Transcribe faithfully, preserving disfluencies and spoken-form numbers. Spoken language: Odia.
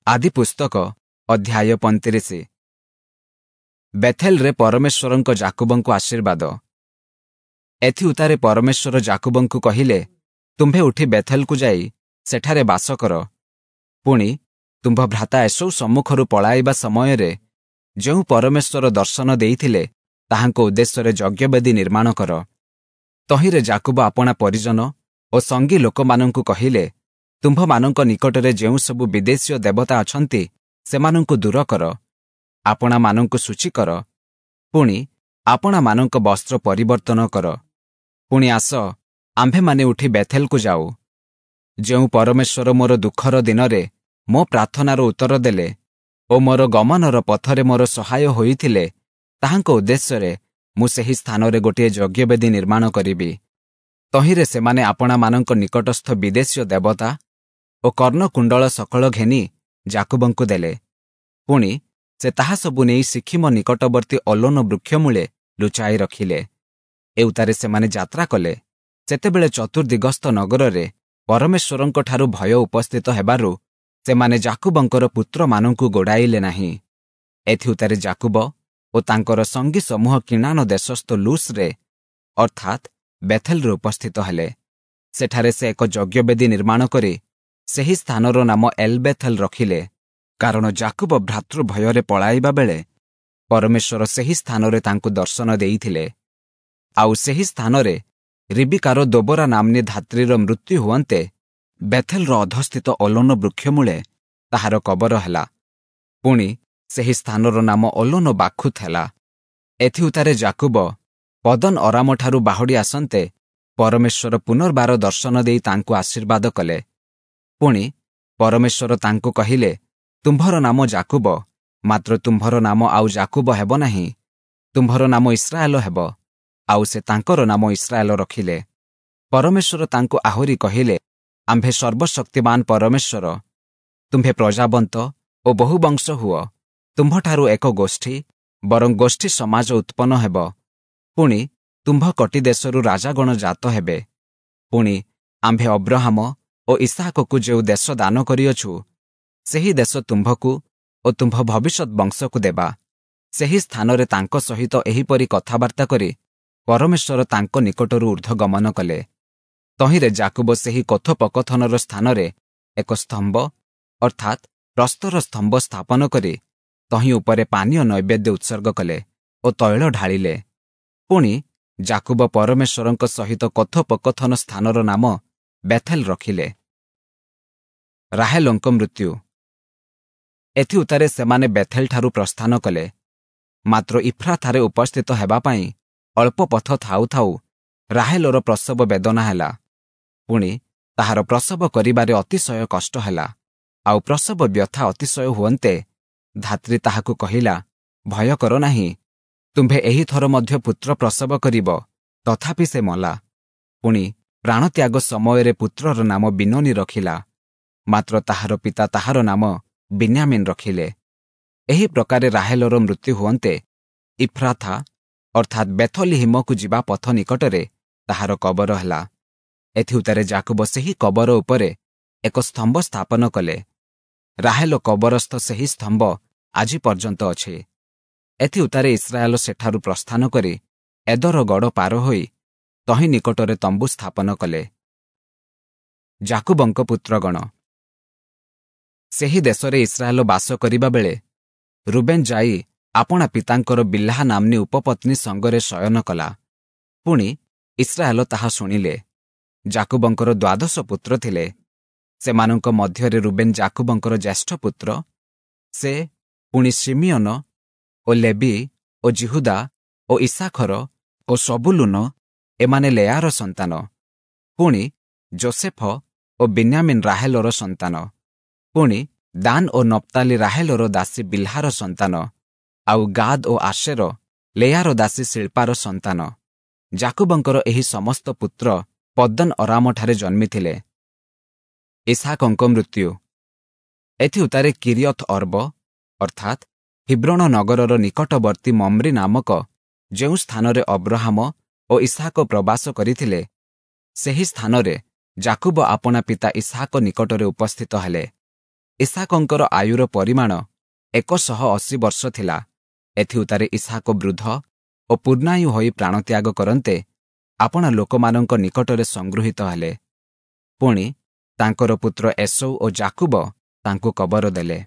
ଆଦି ପୁସ୍ତକ ଅଧ୍ୟାୟ ପଇଁତିରିଶ। ବେଥେଲରେ ପରମେଶ୍ୱରଙ୍କ ଯାକୁବଙ୍କୁ ଆଶୀର୍ବାଦ। ଏଥିଉତ୍ତାରେ ପରମେଶ୍ୱର ଯାକୁବଙ୍କୁ କହିଲେ, ତୁମ୍ଭେ ଉଠି ବେଥେଲକୁ ଯାଇ ସେଠାରେ ବାସ କର। ପୁଣି ତୁମ୍ଭ ଭ୍ରାତା ଏଷୌ ସମ୍ମୁଖରୁ ପଳାଇବା ସମୟରେ ଯେଉଁ ପରମେଶ୍ୱର ଦର୍ଶନ ଦେଇଥିଲେ, ତାହାଙ୍କ ଉଦ୍ଦେଶ୍ୟରେ ଯଜ୍ଞବେଦୀ ନିର୍ମାଣ କର। ତହିଁରେ ଯାକୁବ ଆପଣା ପରିଜନ ଓ ସଙ୍ଗୀ ଲୋକମାନଙ୍କୁ କହିଲେ, ତୁମ୍ଭମାନଙ୍କ ନିକଟରେ ଯେଉଁ ସବୁ ବିଦେଶୀୟ ଦେବତା ଅଛନ୍ତି, ସେମାନଙ୍କୁ ଦୂର କର, ଆପଣାମାନଙ୍କୁ ଶୁଚି କର, ପୁଣି ଆପଣାମାନଙ୍କ ବସ୍ତ୍ର ପରିବର୍ତ୍ତନ କର। ପୁଣି ଆସ, ଆମ୍ଭେମାନେ ଉଠି ବେଥେଲକୁ ଯାଉ। ଯେଉଁ ପରମେଶ୍ୱର ମୋର ଦୁଃଖର ଦିନରେ ମୋ ପ୍ରାର୍ଥନାର ଉତ୍ତର ଦେଲେ ଓ ମୋର ଗମନର ପଥରେ ମୋର ସହାୟ ହୋଇଥିଲେ, ତାହାଙ୍କ ଉଦ୍ଦେଶ୍ୟରେ ମୁଁ ସେହି ସ୍ଥାନରେ ଗୋଟିଏ ଯଜ୍ଞବେଦୀ ନିର୍ମାଣ କରିବି। ତହିଁରେ ସେମାନେ ଆପଣାମାନଙ୍କ ନିକଟସ୍ଥ ବିଦେଶୀୟ ଦେବତା ଓ କର୍ଣ୍ଣକୁଣ୍ଡଳ ସକଳ ଘେନି ଯାକୁବଙ୍କୁ ଦେଲେ। ପୁଣି ସେ ତାହା ସବୁ ନେଇ ସିଖିମ ନିକଟବର୍ତ୍ତୀ ଅଲୋନ ବୃକ୍ଷମୂଳେ ଲୁଚାଇ ରଖିଲେ। ଏଉତ୍ତାରେ ସେମାନେ ଯାତ୍ରା କଲେ। ସେତେବେଳେ ଚତୁର୍ଦିଗସ୍ଥ ନଗରରେ ପରମେଶ୍ୱରଙ୍କଠାରୁ ଭୟ ଉପସ୍ଥିତ ହେବାରୁ ସେମାନେ ଯାକୁବଙ୍କର ପୁତ୍ରମାନଙ୍କୁ ଗୋଡ଼ାଇଲେ ନାହିଁ। ଏଥିଉତ୍ତାରେ ଯାକୁବ ଓ ତାଙ୍କର ସଙ୍ଗୀ ସମୂହ କିଣାନ ଦେଶସ୍ଥ ଲୁସ୍ରେ ଅର୍ଥାତ୍ ବେଥେଲରେ ଉପସ୍ଥିତ ହେଲେ। ସେଠାରେ ସେ ଏକ ଯଜ୍ଞବେଦୀ ନିର୍ମାଣ କରି ସେହି ସ୍ଥାନର ନାମ ଏଲ୍ବେଥେଲ ରଖିଲେ, କାରଣ ଯାକୁବ ଭ୍ରାତୃ ଭୟରେ ପଳାଇବା ବେଳେ ପରମେଶ୍ୱର ସେହି ସ୍ଥାନରେ ତାଙ୍କୁ ଦର୍ଶନ ଦେଇଥିଲେ। ଆଉ ସେହି ସ୍ଥାନରେ ରିବିକାର ଦୋବରା ନାମ୍ନୀ ଧାତ୍ରୀର ମୃତ୍ୟୁ ହୁଅନ୍ତେ ବେଥେଲର ଅଧସ୍ଥିତ ଅଲୋନ ବୃକ୍ଷମୂଳେ ତାହାର କବର ହେଲା। ପୁଣି ସେହି ସ୍ଥାନର ନାମ ଅଲୋନ ବାଖୁତ ହେଲା। ଏଥିଉତ୍ତାରେ ଯାକୁବ ପଦନ ଅରାମଠାରୁ ବାହୁଡ଼ି ଆସନ୍ତେ ପରମେଶ୍ୱର ପୁନର୍ବାର ଦର୍ଶନ ଦେଇ ତାଙ୍କୁ ଆଶୀର୍ବାଦ କଲେ। ପୁଣି ପରମେଶ୍ୱର ତାଙ୍କୁ କହିଲେ, ତୁମ୍ଭର ନାମ ଯାକୁବ, ମାତ୍ର ତୁମ୍ଭର ନାମ ଆଉ ଯାକୁବ ହେବ ନାହିଁ, ତୁମ୍ଭର ନାମ ଇସ୍ରାଏଲ ହେବ। ଆଉ ସେ ତାଙ୍କର ନାମ ଇସ୍ରାଏଲ ରଖିଲେ। ପରମେଶ୍ୱର ତାଙ୍କୁ ଆହୁରି କହିଲେ, ଆମ୍ଭେ ସର୍ବଶକ୍ତିମାନ ପରମେଶ୍ୱର। ତୁମ୍ଭେ ପ୍ରଜାବନ୍ତ ଓ ବହୁବଂଶ ହୁଅ। ତୁମ୍ଭଠାରୁ ଏକ ଗୋଷ୍ଠୀ, ବରଂ ଗୋଷ୍ଠୀ ସମାଜ ଉତ୍ପନ୍ନ ହେବ। ପୁଣି ତୁମ୍ଭ କଟି ଦେଶରୁ ରାଜାଗଣ ଜାତ ହେବେ। ପୁଣି ଆମ୍ଭେ ଅବ୍ରହାମ ଓ ଇସାକକୁ ଯେଉଁ ଦେଶ ଦାନ କରିଅଛୁ, ସେହି ଦେଶ ତୁମ୍ଭକୁ ଓ ତୁମ୍ଭ ଭବିଷ୍ୟତ ବଂଶକୁ ଦେବା। ସେହି ସ୍ଥାନରେ ତାଙ୍କ ସହିତ ଏହିପରି କଥାବାର୍ତ୍ତା କରି ପରମେଶ୍ୱର ତାଙ୍କ ନିକଟରୁ ଊର୍ଦ୍ଧ୍ୱଗମନ କଲେ। ତହିଁରେ ଯାକୁବ ସେହି କଥୋପକଥନର ସ୍ଥାନରେ ଏକ ସ୍ତମ୍ଭ ଅର୍ଥାତ୍ ପ୍ରସ୍ତର ସ୍ତମ୍ଭ ସ୍ଥାପନ କରି ତହିଁ ଉପରେ ପାନୀୟ ନୈବେଦ୍ୟ ଉତ୍ସର୍ଗ କଲେ ଓ ତୈଳ ଢାଳିଲେ। ପୁଣି ଯାକୁବ ପରମେଶ୍ୱରଙ୍କ ସହିତ କଥୋପକଥନ ସ୍ଥାନର ନାମ ବେଥେଲ ରଖିଲେ। ରାହେଲଙ୍କ ମୃତ୍ୟୁ। ଏଥିଉତ୍ତାରେ ସେମାନେ ବେଥେଲଠାରୁ ପ୍ରସ୍ଥାନ କଲେ। ମାତ୍ର ଇଫ୍ରାଥାରେ ଉପସ୍ଥିତ ହେବା ପାଇଁ ଅଳ୍ପ ପଥ ଥାଉ ଥାଉ ରାହେଲର ପ୍ରସବ ବେଦନା ହେଲା। ପୁଣି ତାହାର ପ୍ରସବ କରିବାରେ ଅତିଶୟ କଷ୍ଟ ହେଲା। ଆଉ ପ୍ରସବ ବ୍ୟଥା ଅତିଶୟ ହୁଅନ୍ତେ ଧାତ୍ରୀ ତାହାକୁ କହିଲା, ଭୟ କର ନାହିଁ, ତୁମ୍ଭେ ଏହିଥର ମଧ୍ୟ ପୁତ୍ର ପ୍ରସବ କରିବ। ତଥାପି ସେ ମଲା। ପୁଣି ପ୍ରାଣତ୍ୟାଗ ସମୟରେ ପୁତ୍ରର ନାମ ବିନୋନୀ ରଖିଲା, ମାତ୍ର ତାହାର ପିତା ତାହାର ନାମ ବିନ୍ୟାମିନ୍ ରଖିଲେ। ଏହି ପ୍ରକାରେ ରାହେଲର ମୃତ୍ୟୁ ହୁଅନ୍ତେ ଇଫ୍ରାଥା ଅର୍ଥାତ୍ ବେଥଲିହିମକୁ ଯିବା ପଥ ନିକଟରେ ତାହାର କବର ହେଲା। ଏଥିଉତ୍ତାରେ ଯାକୁବ ସେହି କବର ଉପରେ ଏକ ସ୍ତମ୍ଭ ସ୍ଥାପନ କଲେ। ରାହେଲ କବରସ୍ଥ ସେହି ସ୍ତମ୍ଭ ଆଜି ପର୍ଯ୍ୟନ୍ତ ଅଛି। ଏଥିଉତ୍ତାରେ ଇସ୍ରାଏଲ ସେଠାରୁ ପ୍ରସ୍ଥାନ କରି ଏଦର ଗଡ଼ ପାର ହୋଇ ତହିଁ ନିକଟରେ ତମ୍ବୁ ସ୍ଥାପନ କଲେ। ଯାକୁବଙ୍କ ପୁତ୍ରଗଣ। ସେହି ଦେଶରେ ଇସ୍ରାଏଲ ବାସ କରିବା ବେଳେ ରୁବେନ୍ ଯାଇ ଆପଣା ପିତାଙ୍କର ବିଲ୍ହା ନାମ୍ନୀ ଉପପତ୍ନୀ ସଙ୍ଗରେ ଶୟନ କଲା। ପୁଣି ଇସ୍ରାଏଲ ତାହା ଶୁଣିଲେ। ଯାକୁବଙ୍କର ଦ୍ୱାଦଶ ପୁତ୍ର ଥିଲେ। ସେମାନଙ୍କ ମଧ୍ୟରେ ରୁବେନ୍ ଯାକୁବଙ୍କର ଜ୍ୟେଷ୍ଠ ପୁତ୍ର। ସେ ପୁଣି ଶିମିୟନ ଓ ଲେବି ଓ ଜିହୁଦା ଓ ଇସାଖର ଓ ସବୁଲୁନ, ଏମାନେ ଲେୟାର ସନ୍ତାନ। ପୁଣି ଜୋସେଫ ଓ ବିନ୍ୟାମିନ୍ ରାହେଲର ସନ୍ତାନ। ପୁଣି ଦାନ ଓ ନପ୍ତାଲି ରାହେଲର ଦାସୀ ବିଲ୍ହାର ସନ୍ତାନ। ଆଉ ଗାଦ୍ ଓ ଆଶେର ଲେୟାର ଦାସୀ ଶିଳ୍ପାର ସନ୍ତାନ। ଯାକୁବଙ୍କର ଏହି ସମସ୍ତ ପୁତ୍ର ପଦ୍ଦନ ଅରାମଠାରେ ଜନ୍ମିଥିଲେ। ଇସାକଙ୍କ ମୃତ୍ୟୁ। ଏଥିଉତ୍ତାରେ କିରିୟଥ ଅର୍ବ ଅର୍ଥାତ୍ ହିବ୍ରୋଣ ନଗରର ନିକଟବର୍ତ୍ତୀ ମମ୍ରି ନାମକ ଯେଉଁ ସ୍ଥାନରେ ଅବ୍ରହାମ ଓ ଇସାକ ପ୍ରବାସ କରିଥିଲେ, ସେହି ସ୍ଥାନରେ ଯାକୁବ ଆପଣା ପିତା ଇସାକ ନିକଟରେ ଉପସ୍ଥିତ ହେଲେ। ଇସ୍ହାକଙ୍କର ଆୟୁର ପରିମାଣ ଏକ ଶହ ଅଶୀ ବର୍ଷ ଥିଲା। ଏଥିଉତ୍ତାରେ ଇସ୍ହାକ ବୃଦ୍ଧ ଓ ପୂର୍ଣ୍ଣାୟୁ ହୋଇ ପ୍ରାଣତ୍ୟାଗ କରନ୍ତେ ଆପଣା ଲୋକମାନଙ୍କ ନିକଟରେ ସଂଗୃହୀତ ହେଲେ। ପୁଣି, ତାଙ୍କର ପୁତ୍ର ଏଷୌ ଓ ଯାକୁବ ତାଙ୍କୁ କବର ଦେଲେ।